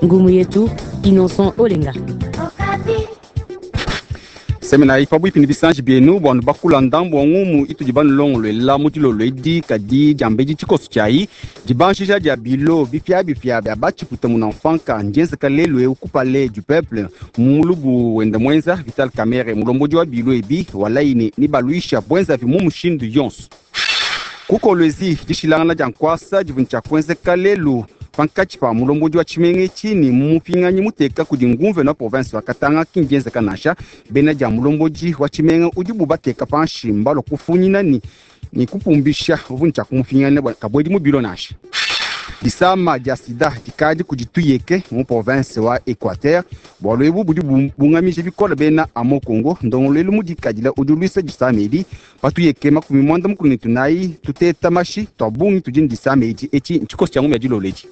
Ngumu yetu Innocent Olenga. Semenayi pabuipi ne bisanji bienu bua nubakula ndambu wa ngumu itudi banulongoluela mu dilolo edi. Kadi diambedi tshikoso tshiayi, dibanjija dia bilo bipiabipia bia batshipuita munamfanka ndienzeka lelu eu ku Palais du Peuple mu mulubu wenda muenza Vital Kamerhe, mulombodi wa bilo ebi walayi ne nibaluisha buenzavi mu mushindu yonso. Ku Kolwezi, dishilangana dia nkuasa divua ne tshia kuenzeka lelu pankatshi pa mulombodi wa tshimenga etshi ne mupinganyi muteka kudi nguvena wa province wa Katanga ki ndienzeka nansha. Bena dia mulombodi wa tshimenga udibu bateka panshi mbalua kufunyina ne ne kupumbisha uvua ne tshia kumupingana bua kabuedi mu bilo nansha. Disama dia sida dikadi kudi tuyeke mu province wa Equateur. Bualu ebu budi bubungamija bikole bena Amo Congo. Ndongoluelu mudikadila udi uluisa disama edi. Pa tuyeke 94 tuteta mashi tua bungi tudi ne disama edi. Etshi ntshikoso tshia ngumi ya dilolo edi.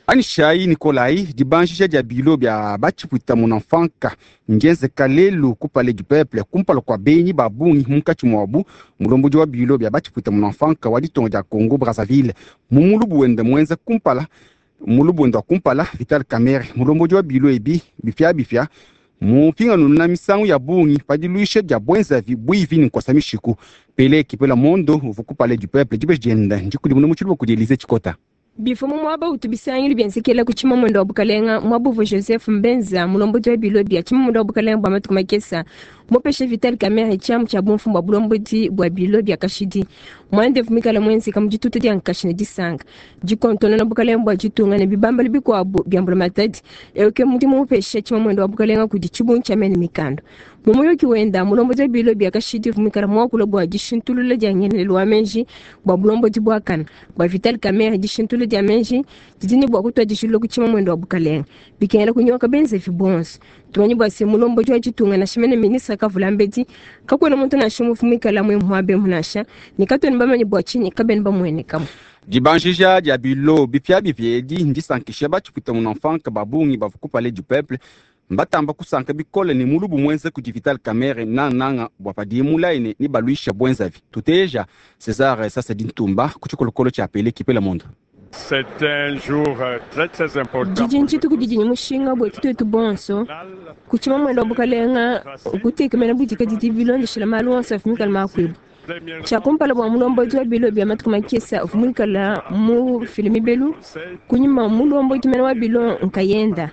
Anyishayi Nikolayi, dibanjija dia bilo bia batshipuita munamfanka ndienzeka lelu ku Palais du Peuple kumpala kua benyi ba bungi, munkatshi muabu mulombodi wa bilo bia batshipuita munamfanka wa ditunga dia Congo Brazzaville. Mu mulubu wende muenza kumpala mulubu wende wa kumpala, Vital Kamerhe, mulombodi wa bilo ebi bipiabipia, mupinganuna misangu ya bungi pa diluisha dia buenzavi buivi ne nkosa mishiku. Pele Kipela Mondo uvua ku Palais du Peuple, dibeji diende ndikudimuna mu tshiluba kudi Elysee Tshikota. Bivua mu muaba utu bisangilu bienzekela ku Tshimamuende wa Bukalenga, muaba uvua Joseph Mbenza, mulombodi wa bilo bia Tshimamuende wa Bukalenga bua matuku makesa, mupeshe Vital Kamerhe tshiamu tshia bumfumu bua bulombodi bua bilo bia kashidi. Muanda uvua muikale muenzeka mu dituta dia nkashi ne disanka, dikontonona bukalenga bua ditunga ne bibambalu bikuabu bia mbulamatadi. Eu ke mudimu mupesha Tshimamuende wa Bukalenga kudi tshibungi tshia mena mikanda. Mu muyuki wenda, mulombodi wa bilo bia kashidi uvua muikale muakule bua dishintulula dia ngelelu wa meji bua bulombodi buakane. Bua Vital Kamerhe, dishintulula dia meji didi ne bua kutuadijilula ku tshimamuende wa bukalenga, bikengela kunyoka benzevi bonso. Tumanye bua se, mulombodi wa ditunga nansha mene ministre Kavulambedi, kakuena muntu nansha umue uvua muikale muaba emu nansha, ne katuena bamanye bua tshinyi kabena bamuenekamu. Dibanjija dia bilo bipiabipia edi ndisankishe batshipuita munamfanka ba bungi bavua ku Palais du Peuple. Mbatamba kusanka bikole ne mulubu muenza kudi Vital Kamerhe, nangananga bua padiye mulaye ne nebaluisha buenzavi. Tuteja Cesar Sasadi Ntumba ku tshikolokolo tshia Pele Kipela Mondo. Didi ndituku didi ne mushinga buetu tuetu bonso. Ku tshimamuende wa bukalenga, kutekemena budikadidi bilondeshile malu onso avua mikale makuibue. Tshia kumpala bua mulombodi wa bilo bia matuku makese uvua muikale mufile mibelu, kunyima mulombodi mene wa bilo nkayenda.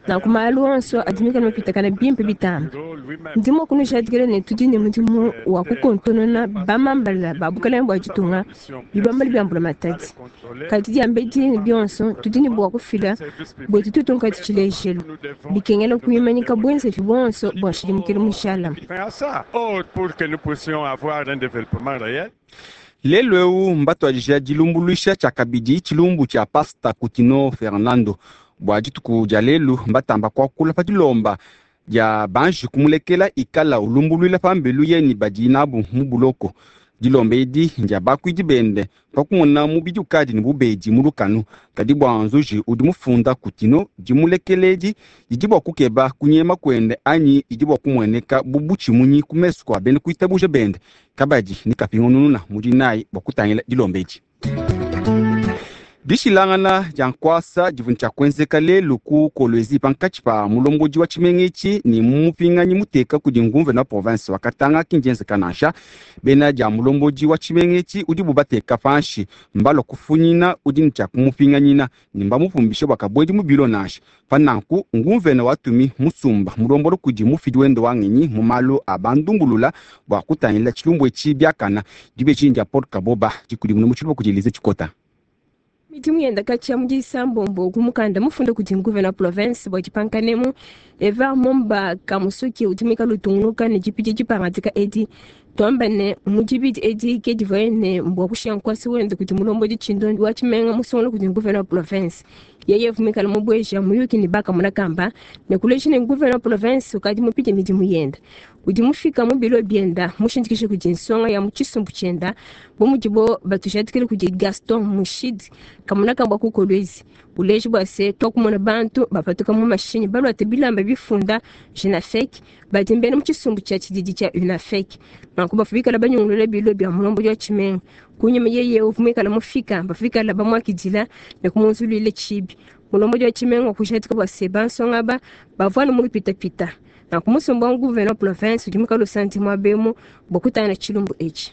Nanku malu onso adi mikale mapitakane bimpe bitambe. Ndi mua kunujadikila ne, tudi ne mudimu wa kukontonona bamambala ba bukalenge bua ditunga, bibambalu bia mbulamatadi. Kadi diambedi ne bionso, tudi ne bua kufila buetu tuetu nkadi tshilejelu. Bikengela kuimanyika buenzeji buonso bua nshidimukilu mujalame. Lelu eu mbatuadija dilumbuluisha tshiakabidi tshilumbu tshia Pasta Kutino Fernando. Bua dituku dia lelu mbatamba kuakula pa dilomba dia banji kumulekela ikala ulumbuluila pambelu ye ne badi nabu mu buloko. Dilomba edi ndia bakuidi bende pa kumona mubidi ukadi ne bubedi mu lukanu. Kadi bua nzuji udi mufunda Kutino, dimulekela edi didi bua kukeba kunyema kuende anyi didi bua kumueneka bu butshimunyi ku mesu kua bena kuitabuja bende. Kabadi ne kapingunununa mu dinayi bua kutangila dilomba edi. Dishilangana dia nkuasa divua ne tshia kuenzeka lelu ku Kolwezi pankatshi pa mulombodi wa tshimenga etshi ne mupinganyi muteka kudi nguvena wa province wa Katanga ki ndienzeka nansha. Bena dia mulombodi wa tshimenga etshi udibu bateka panshi mbalua kufunyina udi ne tshia kumupinganyina ne mbamupumbishe bua kabuedi mu bilo nansha. Pa nanku nguvena watumi musumba mulombola kudi mufidi wende wa ngenyi mu malu a bandumbulula bua kutangila tshilumbu etshi biakana. Dibeji ndia Paul Kaboba dikudimuna mu tshiluba kudi Elysee Tshikota. Midimu yenda katshia mu disambombo ku mukanda mufunda kudi nguvena wa province bua dipankanemu, Ever Momba Kamusuki udi muikale utungunuka ne dipidi dipangadika edi. Tuamba ne, mu dibidi edi ke divuaye ne bua kushiya nkuasa wende kudi mulombodi tshindondi wa tshimenga musungula kudi nguvena wa province. Yeye uvua muikale mubueja muyuki ne bakamona kamba ne kuleja ne nguvena wa province ukadi mupite midimu yenda. Udi mufika mu bilo bienda mushindikija kudi nsonga ya mu tshisumbu tshienda bu mudibo batujadikile kudi Gaston Mushidi kamona kamba ku Kolwezi. Uleji bua se tuakumona bantu bapatuka mu mashinyi baluate bilamba bifunda Junafec badi mbena mu tshisumbu tshia tshididi tshia UNAFEC. Nanku bavua bikala banyungulula bilo bia mulombodi wa tshimenga. Kunyima yeye uvua muikala mufika, bavua bikala bamuakidila ne kumunzuluila tshibi. Mulombodi wa tshimenga wakujadika bua se bansonga aba bavua anu mu lupitapita. Nanku musumba wa gouverneur wa province udi muikale usanti muaba emu bua kutangila tshilumbu etshi.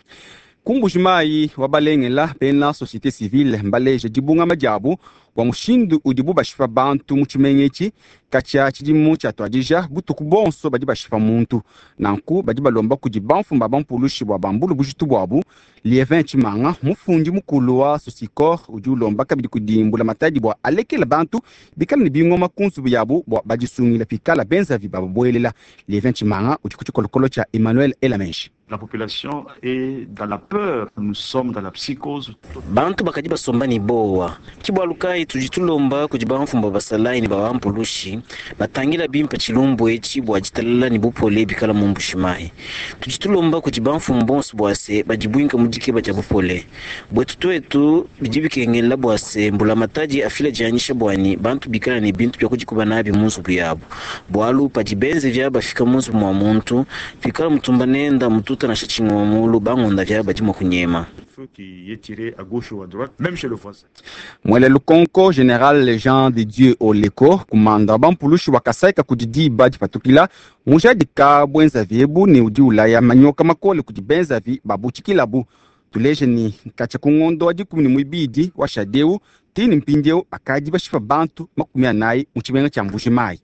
Ku Mbuji-Mayi wa balengela bena societe civile mbaleje dibungama diabu bua mushindu udibu bashipa bantu mu tshimenga etshi. Katshia tshidimu tshiatuadija, butuku buonso badi bashipa muntu. Nanku badi balomba kudi bamfumu ba bampulushi bua bambule bujitu buabu. Lievin Tshimanga, mufundi mukulu wa Socicor, udi ulomba kabidi kudi mbulamatadi bua alekele bantu bikale ne bingoma ku nzubu yabu bua badisungile pikala benzavi bababuelela. Lievin Tshimanga udi ku tshikolokolo tshia Emmanuel Elamenji. La population est dans la peur, nous sommes dans la psychose. Bantu bakadi basomba ne bowa. Ki bualu kayi tudi tulomba kudi bamfumu ba basalayi ne ba bampulushi batangila bimpe tshilumbu etshi bua ditalala ne bupole bikala mu Mbuji-Mayi. Tudi tulomba kudi bamfumu bonso bua se badibuinka mu dikeba dia bupole. Buetu tuetu bidi bikengela bua se mbulamatadi afila dianyisha buani bantu bikala ne bintu bia kudikuba nabi mu nzubu yabu. Bualu padi benzevia bafika mu nzubu mua muntu, pikala mutumba nenda mututa nansha tshingoma mulu, bangonda via badi mua kunyema. Mwele lukonko General Jean de Dieu Oleko kumanda bampulushi wakasaika kudi diba dipatukila mujadika bwenzavi ebu ne udi ulaya manyoka makole kudi benzavi babutshikilabu. Tuleje ni katshia ku ngondo wa 12 wa shadeu tini mpindieu bakadi bashipa bantu 40 mu tshimenga tshia Mbuji-Mayi.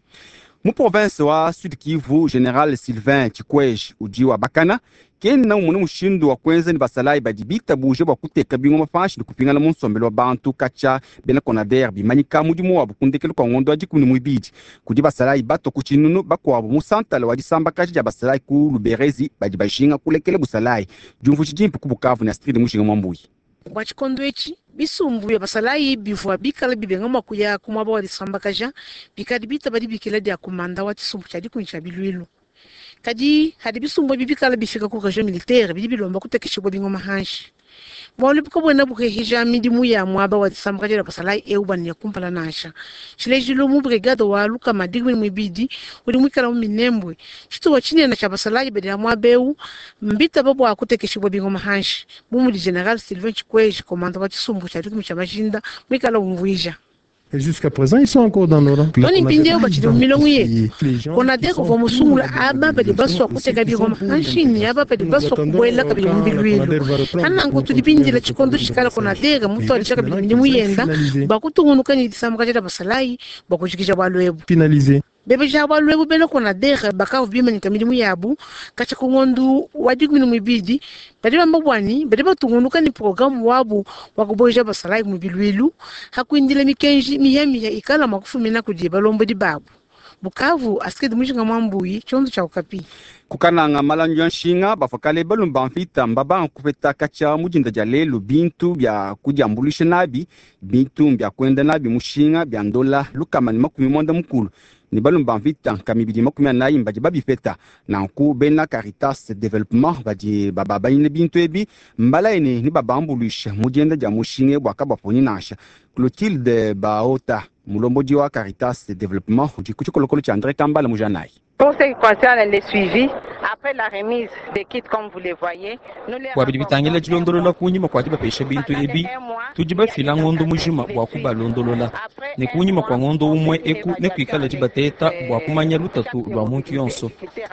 Mu province wa Sud Kivu, General Sylvain Chikwege udi wabakana kena umona mushindu wa kuenza ne basalayi badi bitabuje bua kuteka bingoma panshi ne kupingana mu nsombelu wa bantu katshia bena Conader bimanyika mudimu wabu ku ndekelu kua ngondo wa 12. Kudi basalayi batua ku tshinunu bakuabu mu santala wa disambakaja dia basalayi ku Luberezi badi bajinga kulekela busalayi. Diumvuija dimpe ku Bukavu ne Astrid Mujinga Mwambuyi. Bua tshikondo etshi bisumbu bia basalayi bivua bikala bibenga mua kuya ku muaba wa disambakaja bikadi bitaba dibikila dia kumanda wa tshisumbu tshia dikumi tshia bilwilu. Kadi hadi bisumbu ebi bikala bifika ku region militaire bidi bilomba kutekeshibua bingoma hanshi. Bualu bukabuena buhehija midimu ya muaba wa disambakaja dia basalayi eu bania kumpala nansha. Tshilejilu mu brigade wa lukama dikumi muibidi udi muikala mu Minembwe. Tshitupa tshinene tshia basalayi badi muaba eu mbitaba bua kutekeshibua bingoma hanshi. Bu mudi General Sylvain Chikwege, commandant wa tshisumbu tshia dikumi tshia majinda, muikala umvuija. Et jusqu'à présent, ils sont encore dans nos rangs. Tony mpindieu batshidi mu milongo yetu. Konader uvua musungula aba badi basua kuteka bingoma hanshi ne aba badi basua kubuela kabidi mu bilwilu. Hananku tudi bindila tshikondo tshikala Konader mutuadija kabidi midimu yenda bua kutungunuka ne disambakaja dia basalayi bua kujikija bualu ebu. Finalisé. Bebeja bualu ebu bena Konader bakavua bimanyika midimu yabu katshia ku ngondo wa 12 badi bamba buani badi batungunuka ne programu wabu wa kuboja basalayi mu bilwilu hakuindila mikenji miyamiya ikala mua kufumina kudi balombodi babu. Bukavu Astrid Mujinga Mwambuyi, tshiondo tshia Okapi. Kukananga malandu ya nshinga bafakale balumba mvita mbabanga kupeta katshia mudinda dia lelu bintu bia kudiambulisha nabi bintu bia kuenda nabi mushinga bia ndola lukama ne 90 ne balumba mvita nkama 240 badi babipeta. Nanku bena Caritas Development badi bababanyine bintu ebi mbalaye ne babambuluisha mu dienda dia mushinga bua kabaponyi nansha. Clotilde Baota mulombodi wa Caritas Development udi ku tshikolokolo tshia André Kambala mujanayi. Pour ce qui concerne le suivi, après la remise des kits comme vous le voyez, nous les bua bidi bitangila dilondolola kunyima kua dibapesha bintu ebi, tudi bafila ngondo mujima bua kubalondolola ne kunyima kua ngondo umue eku ne kuikala dibateta bua kumanya lutatu lua muntu yonso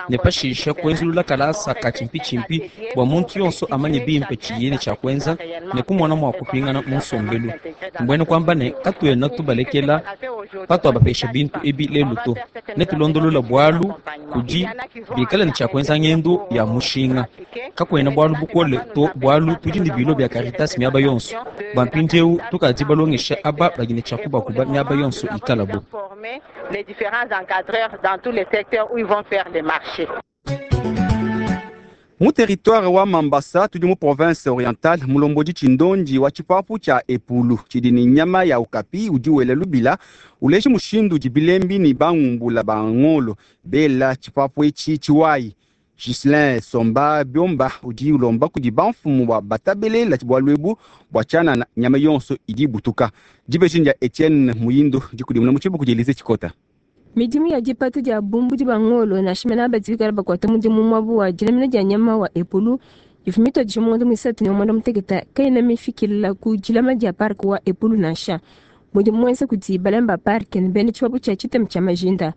ne pashisha kuenzulula kalasa ka tshimpitshimpi bua muntu yonso amanye bimpe tshiye ne tshia kuenza ne kumona mua kupingana mu nsombelu. Mbuena kuamba ne katuena tubalekela patuabapesha bintu ebi lelu to ne tulondolola bualu kudi bikala ne tshia kuenza ngendo ya mushinga. Kakuena bualu bukole to bualu tudi ne bilo bia Caritas miaba yonso. Bua mpindieu tukadi balongesha aba badi ne tshia kubakuba miaba yonso ikalabo. Les différents encadreurs dans tous les secteurs où ils vont faire les marchés. Mu territoire wa Mambasa tudi mu province orientale mulombodi tshindondi wa tshipapu tshia Epulu tshidi ne nyama ya okapi udi wela lubila uleji mushindu udi bilembi ne bangumbula bangolo bela tshipapu etshi tshiwayi. Ghislain Somba Biomba udi ulomba kudi bamfumu bua batabelela bualu ebu bua tshianana nyama yonso idi ibutuka. Dibeji dia Etienne Muyindo dikudimuna mu tshibuku kudi Elise Tshikota. Midimu ya dipata dia bumbudi ba ngolo nansha mena badi bikala bakuata mudimu muabu wa dilamina dia nyama wa epulu ivua mituadije mu ngondo muisatu ne muanda mutekete kayena mifikila ku dilama dia parke wa epulu nansha. Mudimu muenza kudi balami ba parke ne bena tshibabu tshia tshitema tshia majinda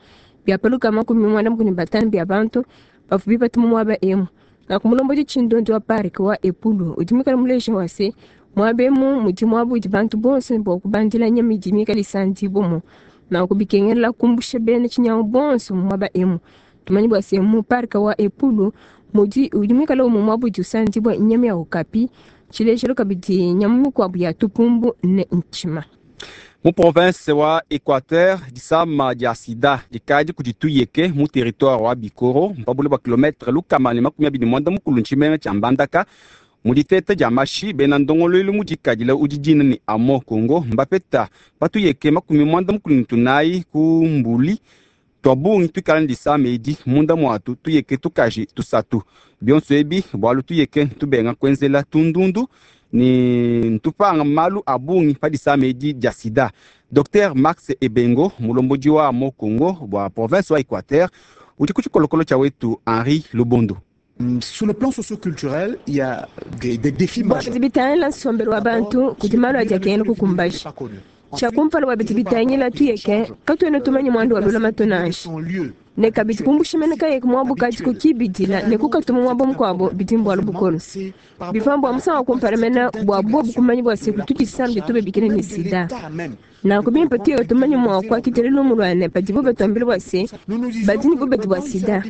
bia paluka 45 bia bantu bavua bipata mu muaba emu. Nanku mulombodi tshindondi wa parke wa epulu udi muikale muleja wa se muaba emu mudi muaba udi bantu bonso ne bua kubandila nyama idi mikale isandibua nanku bikengela kumbusha bena tshinyangu bonso mu muaba emu. Tumanye bua se mu parke wa epulu mudi udi muikale umue muaba udi usandibua nyama ya okapi, tshilejelu kabidi nyama mikuabu ya tupumbu ne ntshima. Mu province wa Equateur disama dia sida dikadi kudi tuyeke mu territoire wa Bikoro mpabule bua kilometre lukama ne 29 ntshimenga tshia Mbandaka. Mu diteta dia mashi bena ndongoluelu mu dikadila udi dina ne amo Congo mbapeta patuyeke 94 ku mbuli tua bungi tuikala ne disama edi munda muatu tuyeke tukaji tusatu. Bionso ebi bualu tuyeke tubenga kuenzela tundundu ne ntupanga malu a bungi pa disama edi dia sida. Dr Max Ebengo mulombodi wa amo Congo bua province wa Equateur udi ku tshikolokolo tshia wetu Henri Lubondo. Sur le plan socio-culturel, il y a des défis bua majeurs. bidi bitangila nsombelu wa bantu kudi malu adi akengela kukumbaja. Tshia kumpala bua bidi bitangila tuyeke katuena tumanye muandu wa lulamatu nansha ne kabidi kumbusha mene kayeke muabu kadi kukibidila ne kukatuma muaba mukuabu bidi mbualu bukolo. Bivua bua musangu wa kumpala mene bua bobu kumanya bua se kutu disama ditube bikile ne sida. Nanku bimpe tuyeke tumanye mua kuakidila lumu lua ne padibo batuambila bua se badi ne bubedi bua sida.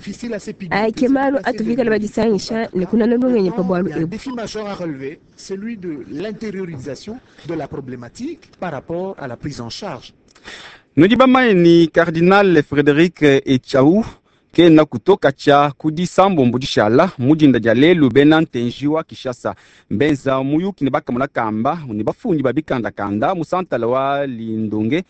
Aya ke malu atuvikala badisangisha ne kunana lungenyi pa bualu Il y a un ebu. défi majeur à relever, celui de l'intériorisation de la problématique par rapport à la prise en charge. Nudi bamanye ni Cardinal Frédéric Echau kena kutoka tshia kudi sambombo dishala mudinda dia lelu bena ntenji wa Kinshasa mbenza muyuki ne bakamona kamba ne bafundi ba bikandakanda mu santala wa Lindonge.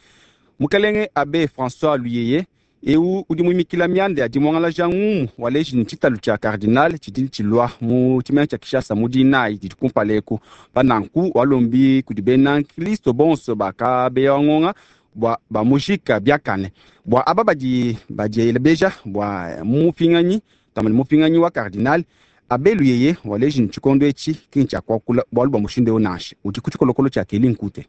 Mukalenge Abbé François Luyeye eu udi muimikila mianda ya dimuangalaja ngumu waleji ne tshitalu tshia cardinal tshidi tshilua mu tshimenga tshia Kinshasa mu dinayi didi kumpala eku. Pa nanku walombi kudi bena nkristo bonso bakabeya ngonga bua bamujika biakane bua aba badi badielebeja bua mupinganyi tamani mupinganyi wa cardinal Abbé Luyeye waleji ne tshikondo etshi ki ntshia kuakula bualu bua mushindu eu nansha udi ku tshikolokolo tshia Keli Nkute.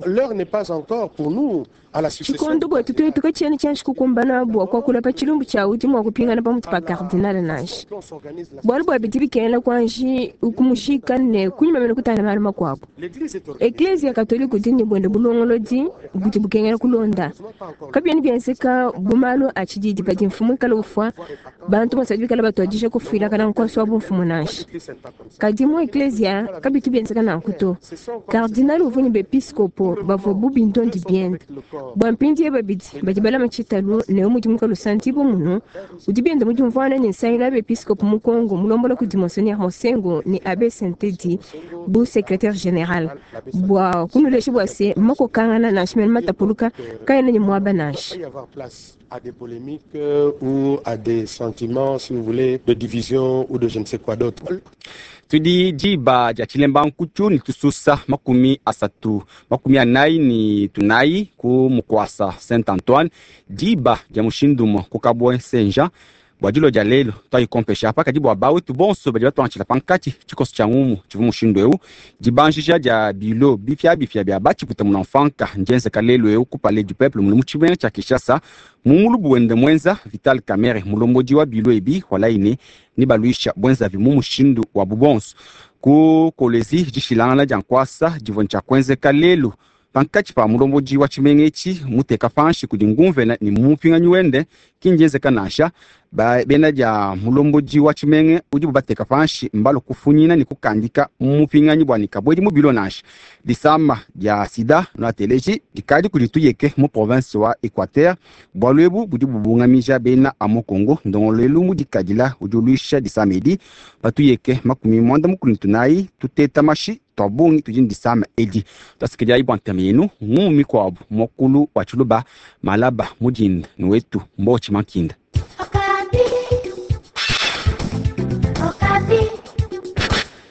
L'heure n'est pas encore pour nous à la succession. Tshikondo bwetu twetu katshiena tshianji kukumbana bua kuakula pa tshilumbu tshia udi mua kupingana pamutu pa cardinal nansha. Bualu bua bidi bikengela kuanji kumushika ne kunyima mene kutana malu makuabu. Eklezia katolika udi ne buende bulongolodi budi bukengela kulonda. Kabiena bienzeka bu malu a tshididi padi mfumu ikala ufua bantu bonso badi bikala batuadija kufuilakana nkosi wa bumfumu nansha. Kadi mu eklezia kabitu bienzeka nanku to. Cardinal uvua ne bepiskopo bavua bu bindondi biende. Bua mpindieu babidi badi balama tshitalu ne mudimu kalusandibu munu udi bienda mudiumvuana ne nsangilu ya bepiskopo mu Congo mulombola kudi Monseigneur Mosengo ne Abbé Sentedi bu secrétaire général bua kunulesha bua se makokangana nansha mene matapuluka kaena ne muaba nansha. Il va y avoir place à des polémiques ou à des sentiments, si vous voulez, de division ou de je ne sais quoi d'autre. Tudi diba dia tshilemba nkutu ne tususa 34 49 ku mukwasa Saint Antoine diba dia mushindu umue ku Kabwe Saint Jean bua dilo dia lelu twayikompesha apa kadi bua bawetu bonso badi batuantshila pankatshi tshikoso tshia ngumu tshivua mushindu eu dibanjija dia bilo bipiabipia bia batshiputa muna mfanka ndienzeka lelu eu ku Palais du Peuple muli mu tshimenga tshia Kinshasa mu mulubu wende mwenza Vital Kamerhe mulombodi wa bilo ebi walayi ne baluisha bwenzavi mu mushindu wa bubonso ku Kolwezi dishilangana dia nkuasa divua ntshia kuenzeka lelu pankatshi pa mulombodi wa tshimenga etshi muteka panshi kudi ngumvena ne mupinganyi wende ki ndienzeka nansha bena dia mulombodi wa tshimenga udibu bateka panshi mbalo kufunyina ne kukandika mupinganyi bua ne kabuedi mu bilo nansha. Disama dia sida noateleji dikadi kudi tuyeke mu province wa Equateur bualu ebu budi bubungamija bena a mu Congo ndongoluelu mudikadila udi uluisha disama edi patuyeke 94 tuteta mashi tua bungi tudi ne disama edi. Twasikidiayi bua ntema yenu ngumu mikuabu muakulu wa tshiluba malaba mudinda ne wetu mbotshi mankinda.